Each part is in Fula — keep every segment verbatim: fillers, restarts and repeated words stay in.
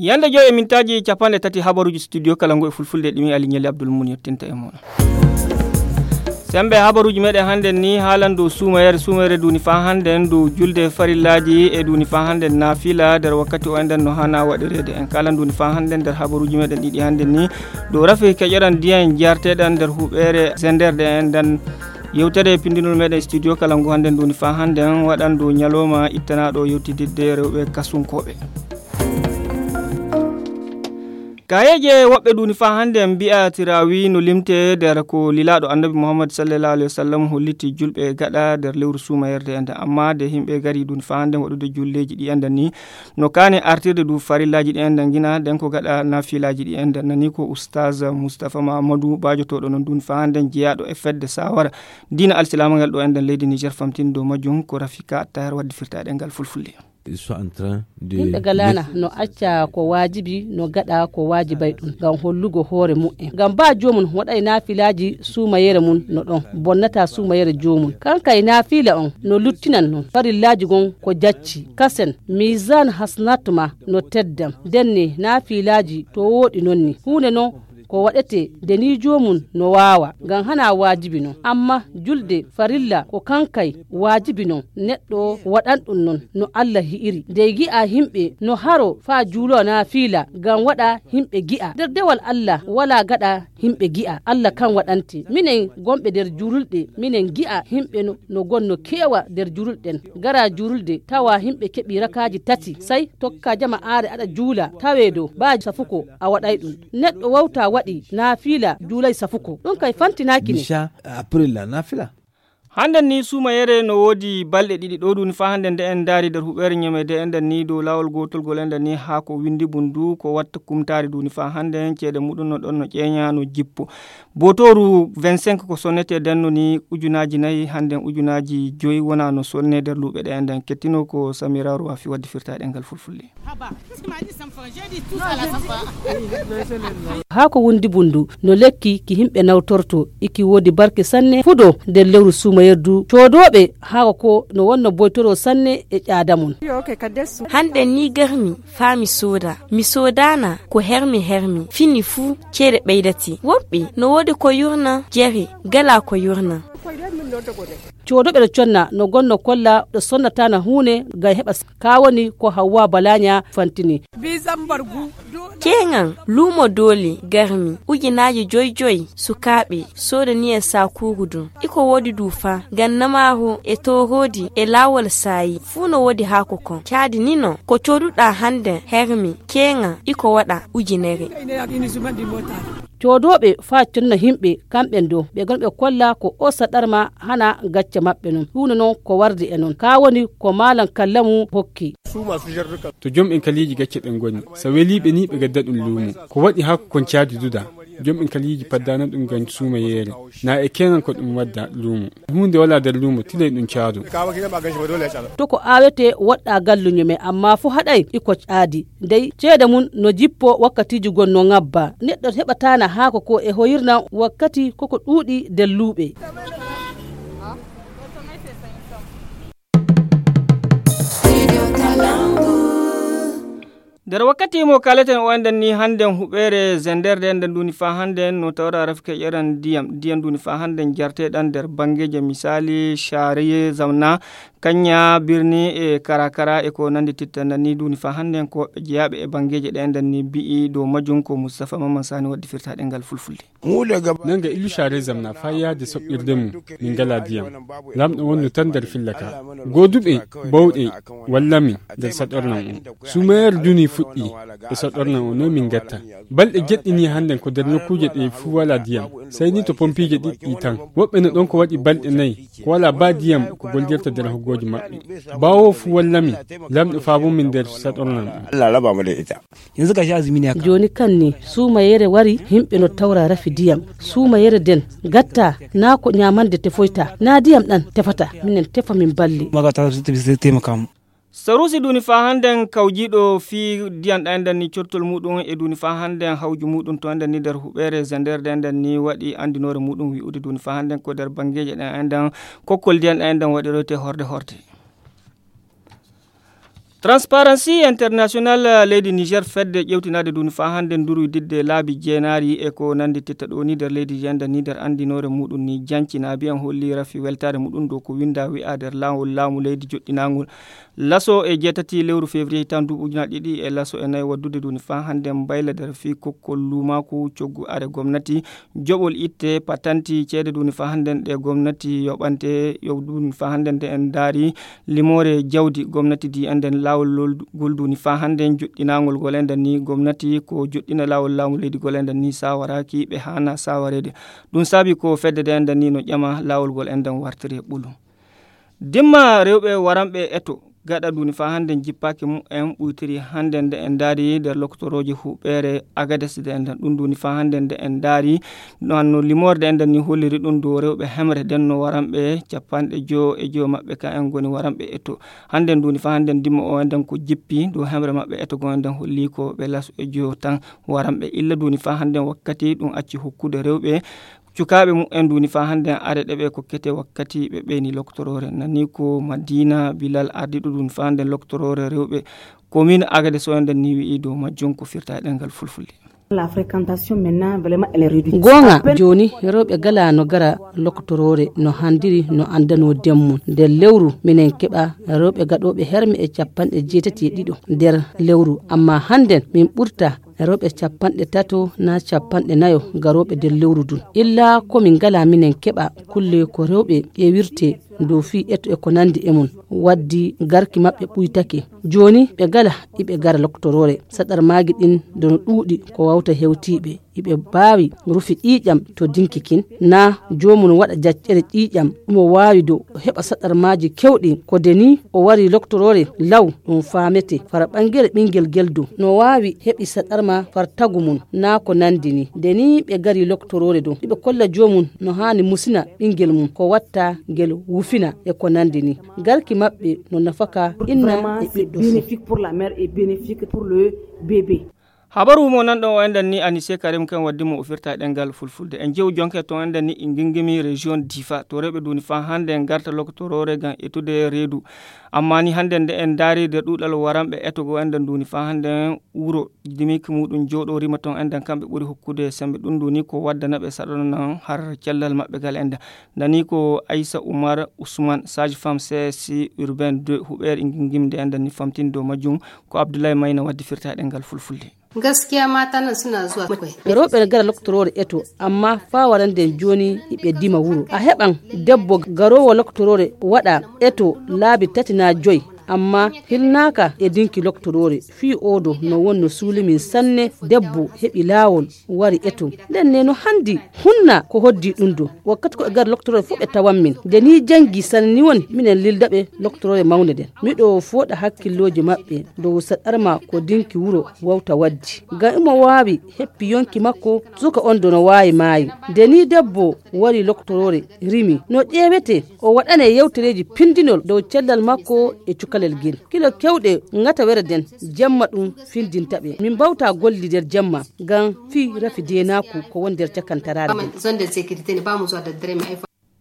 Yande joy e mintaaji capanɗe tati habaruuji studio kala ngu e fulfulde ɗimi Ali Ñeli Abdul Mun yettinta e mon. Sembe habaruuji meɗen hannde ni haalan dow suumayere, suumayere duuni faa hannde dow julde farillaaji e duuni faa hannde naafila nder wakkati o enden no hana waɗireede. En kaalan duuni faa hannde nder habaruuji meɗen ɗiɗi hannde ni dow rafi keƴoɗan ndiyan jarteɗan nder huɓeere zender ɗe enden. Yewtere pindinol meɗen studio kala ngu hannde duuni faa hannde waɗan dow ñalawma ittanaaɗo yewtididde rewɓe kasunkooɓe. Kayeeje woɓɓe duuni faa hannde mbi'a tiraawi no limte nder ko lilaaɗo annabi Muhammad sallallahu alaihi wasallam holliti julɓe gaɗa nder lewru suumayerde enden. Amma de yimɓe gari duuni faa hannde waɗude julleeji ɗi enden ni no kaane artirde du farillaaji ɗi enden gina den ko gaɗa naafilaaji ɗi enden nani ko Ustaz Mustafa Mahamadou baajotooɗo non duuni faa hannde jeyaaɗo e fedde sawara diina alsilaama ngal ɗo enden leydi Niger famtini dow majjum ko Rafika Attahar waddi firtaɗe ngal fulfulde. Ils sont en train de yimɓe galana no acca ko waajibi no gaɗa ko waajibay ɗum ngam hollugo hoore mu'en ngam ba joomum waɗay naafilaaji suumayere mum no ɗon bonnata suumayere joomum kankay naafila on no luttinan non farillaaji gon ko jacci kasen misan hasnat ma no teddam denne naafilaaji to wooɗi non ni huunde non ko waɗete nde ni joomum no waawa ngam hana waajibi non amma julde farilla ko kankay waajibi non neɗɗo waɗan ɗum non no Allah hi'iri nde gi'a himɓe no haro faa juulo naafila ngam waɗa himɓe gi'a nder dewal Allah wala gaɗa himɓe gi'a Allah kan waɗante minen gonɓe nder juululɗe minen gi'a himɓe no no gonno keewa nder juululɗen gara juululde tawa himɓe keɓi rakaaji tati sey tokka jama aare aɗa juula tawe dow baaji safuko a waɗay ɗum neɗɗo wawta waɗi naafiila juulay safuko ɗum kay fantinaaki ne. Misha, après la nafila. Hannden ni suumayere no woodi balɗe ɗiɗi ɗo ɗum faa hannden nde en ndaari nder huɓeere ñamede enɗen ni dow laawol gootol gol enɗen ni haa ko winndi bundu ko watta kumtaari duni faa hannden ceede muɗum no ɗon no ƴeeña no jippo. Bootooru vingt-cinq ko sonnetee denno ni ujunaaji nayi hannden ujunaaji joyi wona no sonnee nder luuɓe ɗe enɗen kettino ko Samira Ruwafi waddi firtaaɗe ngal fulfulde. Haa ko wundi bundu no lekki ki himɓe nawtorto iki woodi barke sanne fudo nder lewru suumayerdu coodooɓe haa ko no wonno boytoro sanne e ƴaada mum. Hannden ni garmi faa mi sooda mi soodaana ko hermi hermi fini fuu ceede ɓeydati woɓɓe no woodi ko yurna jere gala ko yurna. Cooduɓe ɗo conna no gonno kolla ɗo sonnataana huunde ngam heɓa kaa woni ko Hawwa Balaña fantini. Keeŋan luumo doole garmi ujunaaji joy joy sukaaɓe soodani en saakuuru dun iko woodi duu faa ngam namaaru e tooroodi e laawol saayi fuu no woodi haako kon caadi ni no ko cooduɗaa hannden hermi keeŋan iko waɗa ujunere. Coodooɓe faa conna himɓe kamɓen dow ɓe gonɓe kolla ko osa ɗarma hana gacce maɓɓe non huunde non ko wardi e non kaa woni ko maalan kallamu hokki. To jom en kaliiji gacce ɓen ngoni so weliiɓe ni ɓe gadda ɗum luumo ko waɗi haa ko kon caadi duda. Jom en kaliiji paddaana ɗum ngam suuma yeere na e keeŋan ko ɗum wadda luumo huunde walaa nder luumo tilay ɗum caado. To ko aawetee woɗɗaa galluño men ammaa fuu haɗay iko caadi. Dey ceede mum no jippo wakkatiiji gon no ŋabba neɗɗo heɓataana haako ko e hoyirna wakkati koko ɗuuɗi nder luuɓe. Nder wakkati mo kaleten o enɗen ni hannden huɓeere zenderde enɗen nduni faa hannden no tawra rafike ƴeran ndiyam ndiyam nduni faa hannden jarteɗan nder banngeeje misaali caariye zamna Kaña birni e karakara e ko nandi tittanɗan ni duuni faa hannden ko woɓɓe jeyaaɓe e banngeeje ɗe enɗen ni mbi'i dow majjum ko Mustapha Mamman Sani waddi firtaaɗe ngal fulfulde. Nanga illu caare zamna faa yahde soɓɓirde mum min ngalaa diyam. Laamɗo wonno tan nder filla ka. Gooduɓe bawɗe walla min nder saɗornan on. Suumayere duuni fuɗɗi e saɗornan on no min ngatta. Balɗe jeɗɗi ni hannden ko nder nokkuuje ɗe fuu walaa diyam. Sey ni to pompiije ɗiɗɗi tan. Woɓɓe no ɗon ko waɗi balɗe nayi. Ko walaa baa diyam ko gollirta nder hoggooji maɓɓe. Baawo fuu wallami lamɗo faabo min nder saɗornan ɗum. Jooni kan ni suumayere wari yimɓe no tawra rafi diyam. Suumayere den gatta naa ko ñaamande tefoyta naa diyam ɗan tefata minen tefa min balli. Sarusi duni faa hannden kawjiiɗo fii diyan ɗan nden ni cortol muɗum e duni faa hannden hawju muɗum to nden ni nder huɓeere zenderde nden ni waɗi anndinoore muɗum wi'ude duni faa hannden ko nder banngeeje ɗen enden kokkol diyan ɗan nden waɗiroyte horde horde. Transparency International, leydi Niger, fedde ƴewtinaade duuni faa hannde nduru didde laabi jeenaari e ko nanndi titta ɗo ni nder leydi ndi, enden ni nder anndinoore muɗum ni, janci na biyan holli rafi weltaare muɗum dow ko winnda wi'a nder laawol laamu leydi joɗɗinaangol laso e jeetati lewru février hitan duuɓi ujunaaji ɗiɗi e laso e nayi waddude duuni faa hannde mbayla nder fii kokkol luumaaku coggu are gomnati, joɓol itte patanti ceede duuni faa hannde ɗe gomnati yoɓante yo duuni faa hannde nde en ndaari limoore jawdi gomnati di enden laawol gol duuni faa hannde joɗɗinaangol gol enden ni gomnati ko joɗɗina laawol laamu leydi gol enden ni sawaraaki ɓe haana sawareede. Ɗum saabi ko fedde de enden ni no ƴama laawol gol enden wartiri e ɓulu. Dimma rewɓe waranɓe eto gaɗa duuni faa hannde jippaaki mumen ɓuytiri hannde nde en ndaari nder lokotorooji huɓeere Agades de enden ɗum duuni faa hannde nde en ndaari no limoorde enden ni holliri ɗum dow rewɓe hemre den no waranɓe capanɗe joo e joo maɓɓe ka en ngoni waranɓe eto. Hannde duuni faa hannde dimma o enden ko jippi dow hemre maɓɓe eto go enden holli ko ɓe laso e joo tan waranɓe illa duuni faa hannde wakkati ɗum acci hokkude rewɓe cukaaɓe mumen duuni faa hannde are ɗeɓe kokkete wakkati ɓe ɓeyni loktoroore nani ko Madina Bilal ardiɗo duuni faa hannde loktoroore rewɓe. Komin Agades o enden ni wi'i dow majjum ko firta e ɗengal fulfulde. Goonga jooni rewɓe gala no gara loktoroore no handiri no anndano demmum nder lewru minen keɓa rewɓe gaɗooɓe herme e capanɗe jeetati e ɗiɗo nder lewru amma hannden min ɓurta rewɓe capanɗe tato na capanɗe nayo garooɓe nder lewru ndun illa ko min ngala minen keɓa kulle ko rewɓe ƴeewirte dow fii eto e ko nanndi e mum waddi garki maɓɓe ɓuytake. Jooni ɓe ngala iɓe gara loktoroore saɗarmaaji ɗin dono ɗuuɗi ko wawta hewtiiɓe iɓe mbaawi rufi ƴiiƴam to dinki kin na joomum waɗa jaccere ƴiiƴam ɗumo waawi do heɓa saɗarmaaji kewɗi ko de ni o wari loktoroore law ɗum faamete fara ɓangere ɓingel gel do no waawi heɓi saɗarma far tagu mum na ko nanndi ni de ni ɓe ngari loktoroore do iɓe kolla joomum no haani musina ɓingel mum ko watta ngel wufina e ko nanndi ni garki maɓɓe no nafaka inna e ɓiɗɗo fuu. Habaru mo nanɗon o enɗan ni Anise Karim kan waddi mo o firta e ɗengal fulfulde en jewu jonke ton enɗan ni e ngingimi région Difa to rewɓe duuni faa hannde en ngarta loktoroore ngam etude reedu. Amma ni hannde nde en ndaari nder ɗuuɗal waranɓe etogo enɗan duuni faa hannde wuro dimik muɗum jooɗo rima ton enɗan kamɓe ɓuri hokkude sembe ɗum duuni ko waddana ɓe saɗano nan har cellal maɓɓe gal enɗan. Nani ko Aissa Oumar Ousmane, sage-femme C S C urbain deux huɓeere e ngingimde enɗan ni famtini dow majjum. Ko Abdoulaye Mayna waddi firta e ɗengal fulfulde. Gaskiya mata nan suna zuwa kwai. Rewɓe ne gara loktoroore eto amma faa warande jooni iɓe dima wuro a heɓan debbo garoowo loktoroore waɗa eto laabi tati na joyi amma hilnaaka e dinki loktoroore fii odo no wonno suulimin sanne debbo heɓi laawol wari eto nden ne no handi hunna ko hoddi ɗum do wakkati ko e gar loktoroore fof ɓe tawan min nde ni jangi sanani won minen lildaɓe loktoroore mawnde nden miɗo fooɗa hakkillooji maɓɓe dow saɗarma ko dinki wuro wawta waddi ngam imo waawi heppi yonki makko suka on do no waawi maayi nde ni debbo wari loktoroore rimi no ƴeewete o waɗane yewtereeji pindinol dow cellal makko e cukalel gel kilo kewɗe ŋatawere nden jemma ɗum findinta ɓe min mbawta golli nder jemma ngam fii rafi deenaaku ko woni nder cakantaraare nden.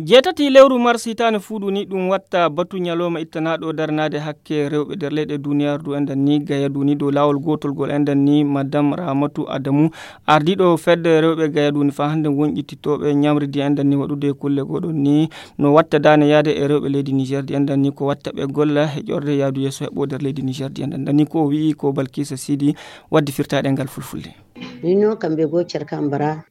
Jeetati lewru mars hitaande fuuɗu ni ɗum watta batu ñalooma ittanaaɗo daranaade hakke rewɓe nder leyɗe duniyaaru du enɗan ni gaya duni dow laawol gootol gol enɗan ni madame Ramatu Adamu ardiiɗo fedde rewɓe gaya duni faa hannde wonƴititooɓe ñamridi enɗan ni waɗude kulle goɗon ni no watta daane yaade e rewɓe leydi Niger di enɗan ni ko watta ɓe golla e ƴorde yaadu yeeso heɓo nder leydi Niger di enɗan ni ko o wi'i ko Balkisa Sidi waddi firtaaɗe ngal fulfulde. Union kambe go cerkambara.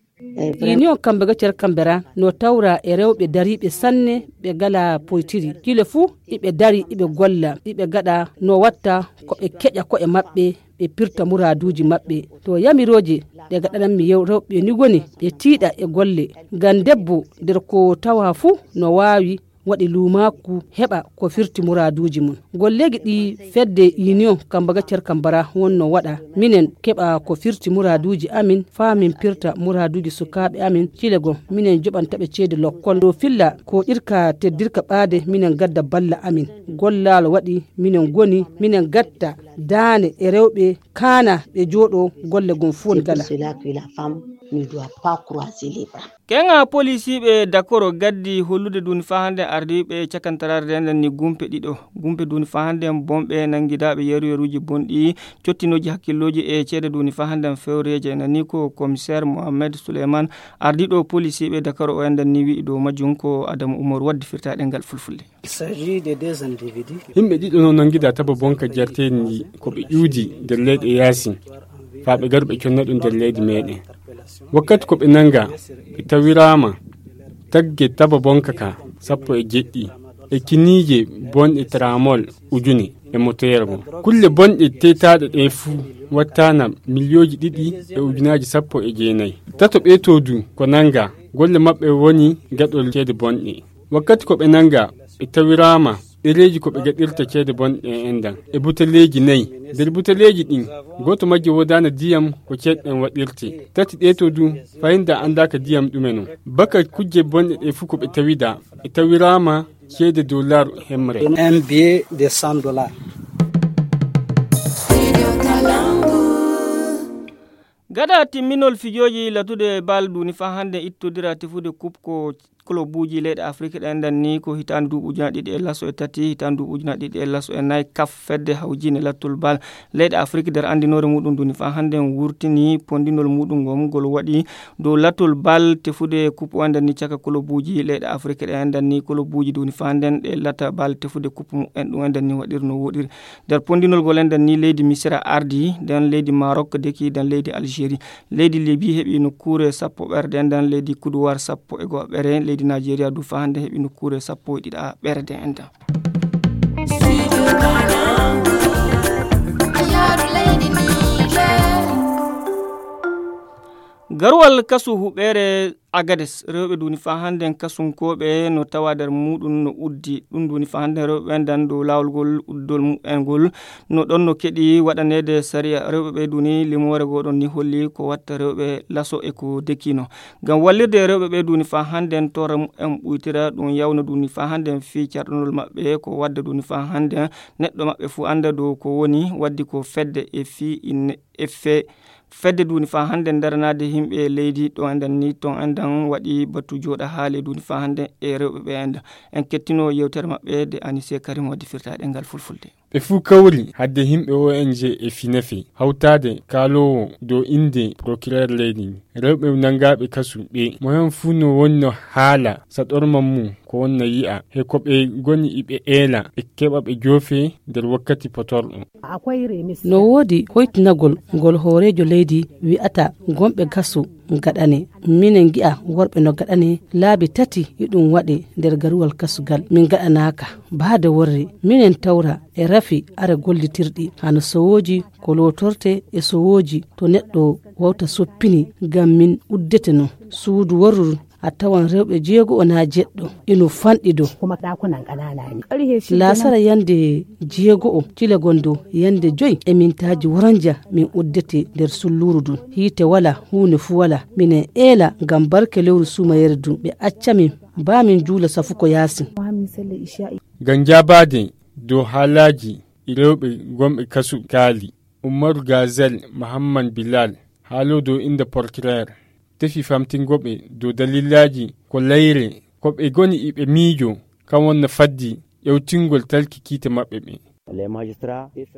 Union kambe go cerkambara no tawra e rewɓe dariiɓe sanne ɓe gala poytiri kile fuu iɓe dari iɓe golla iɓe gaɗa no watta ko ɓe keƴa ko'e maɓɓe ɓe pirta muraaduuji maɓɓe to yamirooje ɗe gaɗanammi rewɓe ni woni ɓe tiiɗa e golle ngam debbo nder ko tawa fuu no waawi waɗi luumaaku heɓa ko firti muraaduuji mum golleeji ɗi fedde union kambaga cerkambara wonno waɗa minen keɓa ko firti muraaduuji amin faa min pirta muraaduuji sukaaɓe amin cile goo minen joɓanta ɓe ceede lokkol dow filla ko irka teddirka ɓaade minen gadda balla amin gollaal waɗi minen ngoni minen gatta daane e rewɓe kaana ɓe jooɗo golle gom fof gala. Ne doit pas croiser les bras. Keŋa polisiiɓe dakoro gaddi hollude duuni faa hannden ardiiɓe cakantaraare nden ni gumpe ɗiɗo. Gumpe duuni faa hannden bonɓe nanngidaaɓe yeru yeruuji bonɗi cottinooji hakkillooji e ceede duuni faa hannden fewreeje nani ko komiseer mohammed suleyman ardiiɗo polisiiɓe dakoro o enɗan ni wi'i dow majjum ko adamu umar waddi firtaaɗe ngal fulfulde. Yimɓe ɗiɗo no nanngida taba bonka jarteeɗi ndi ko ɓe ƴuudi nder leyɗe yaasin faa ɓe garu ɓe conna ɗum nder leydi meeɗen. Wakkati ko ɓe nannga ɓe tawiraama tagge taba bonka ka sappo e jeɗɗi e kiniije bonɗe tramol ujune e motoyergo. Kulle bonɗe teetaaɗe ɗe fuu wattaana miliyooji ɗiɗi e ujunaaji sappo e jeenayi. Tato ɓee to du ko nannga golle maɓɓe woni gaɗol ceede bonɗe. Wakkati ko ɓe nannga ɓe tawiraama ɗereeji ko ɓe gaɗirta ceede bonɗe e enɗan e buteleeji nayi. Nder buteleeji ɗin gooto majji woodaana diyam ko ceeɗɗen waɗirte. Tati ɗee to du fayinda anndaaka diyam ɗume non. Baka kujje bonɗe ɗe fuu ko ɓe tawida ɓe tawiraama ceede dollar hemre. Un billet de cent dollars. Gada timminol fijooji latude bal duuni faa hannde ittodira tefude kup ko kolobuuji leyɗe afrik ɗe enɗan ni ko hitaande duuɓi ujunaaji ɗiɗi e laso e tati hitaande duuɓi ujunaaji ɗiɗi e laso e nayi kaf fedde hawjiinde lattol bal leyɗe afrik nder anndinoore muɗum duuni faa hannde wurtini pondinol muɗum ngol ngol waɗi dow lattol bal tefude kup o enɗan ni caka kolobuuji leyɗe afrik ɗe enɗan ni kolobuuji duuni faa hannde ɗe lata bal tefude kup mumen ɗum enɗan ni waɗirno woɗiri. Nder pondinol ngol enɗan ni leydi misira ardi nden leydi marok deki nden leydi algérie. Leydi libi heɓi nokkuure sappo ɓerde nden leydi kuduwar sappo e go'o ɓere leydi nigeria du faa hannde heɓi nokkuure sappo e ɗiɗa ɓerde nden. Garuwal kasu huɓeere agades rewɓe duuni faa hannden kasunkooɓe no tawa nder muuɗum no uddi ɗum duuni faa hannden rewɓe ɓen dan dow laawol ngol uddol mumen ngol. No ɗon no keɗi waɗaneede sariya rewɓe ɓe duuni limoore goo ɗon ni holli ko watta rewɓe laso e ko dekino. Ngam wallirde rewɓe ɓe duuni faa hannden torra mumen ɓuytira ɗum yawna duuni faa hannden fii carɗunol maɓɓe ko wadda duuni faa hannden neɗɗo maɓɓe fuu annda dow ko woni waddi ko fedde e fii inne e fee fedde duuni faa hannden daranaade yimɓe leydi ɗo enɗan ni ton enɗan waɗi batu jooɗa haale duuni faa hannden e rewɓe ɓe enɗan. En kettino yewtere maɓɓe de anise karim waddi firtaaɗe ngal fulfulde. Ɓe fuu kawri hadde yimɓe o n g e finefe hawtaade kaaloowo dow innde procureur leydi ndi rewɓe nanngaaɓe kasu ɓe mo heen fuu no wonno haala saɗorma mum ko wonna yi'a he ko ɓe ngoni iɓe eela ɓe keɓa ɓe joofee nder wakkati potorɗo. No woodi hoytinagol ngol hooreejo leydi wi'ata gonɓe gasu gaɗane. Minen ngi'a worɓe no gaɗane laabi tati iɗum waɗe nder garuwal kasugal min gaɗanaaka baade worre minen tawra e rafi ara gollitirɗi hano sowooji ko lootorte e sowooji to neɗɗo wawta soppini ngam min uddete non suudu worru a tawan rewɓe jeego o naa jeɗɗo ino fanɗi do. Laasara yande jeego o cila gondo yande joy e mintaaji woranja min uddete nder sulluuru ndun hiite wala huune fu wala minen eela ngam barke lewru suumayere ndun ɓe acca min baa min juula safu ko yaasin. Ngam jaabaade dow haalaaji rewɓe gonɓe kasu kaali, ummaru gazel mahamman bilal haalo dow innde porkireer tefi famtingo ɓe dow dalillaaji ko layre ko ɓe ngoni iɓe miijo kam wonna faddi ƴewtingol talki kiite maɓɓe ɓe.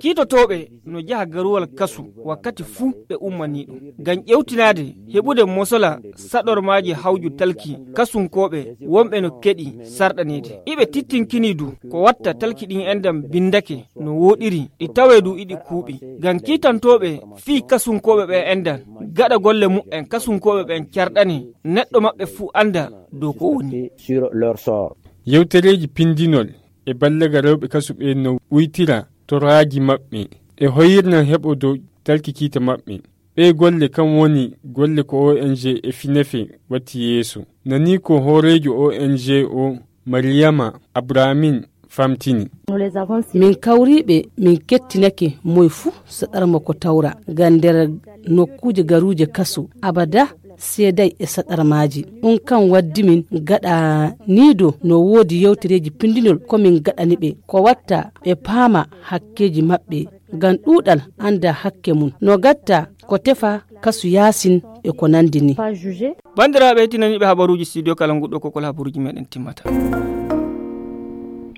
Kiitotooɓe no njaha garuwal kasu wakkati fuu ɓe ummanii ɗum ngam ƴewtinaade heɓude mosola saɗormaaji hawju talki kasunkooɓe wonɓe no keɗi sarɗaneede iɓe tittinkini du ko watta talki ɗin enɗan binndake no wooɗiri ɗi tawee du iɗi kuuɓi ngam kiitantooɓe fii kasunkooɓe ɓen enɗan gaɗa golle mumen kasunkooɓe ɓen carɗane neɗɗo maɓɓe fuu annda dow ko woni. Yewtereeji pinndinol e ballaga rewɓe kasu ɓe no uytira toraaji maɓɓe e hoyirna heɓo dow talki kiite maɓɓe. Ɓee golle kam woni golle ko ong e finefe watti yeeso. Nanii ko hooreejo ong o mariyama abramin famtini. Min kawriiɓe min kettinake moy fuu saɗarma ko tawra ngam nder nokkuuje garuuje kasu abada seeday e saɗarmaaji. Ɗum kam waddi min gaɗa nii do no woodi yewtereeji pinndinol ko min gaɗani ɓe ko watta ɓe paama hakkeeji maɓɓe. ngam ɗuuɗal annda hakke mum no gatta ko tefa kasu yaasin e ko nanndi ni. Banndiraaɓe tinaniiɓe habaruuji studio kala nguɗo kokol habaruuji meɗen timmata.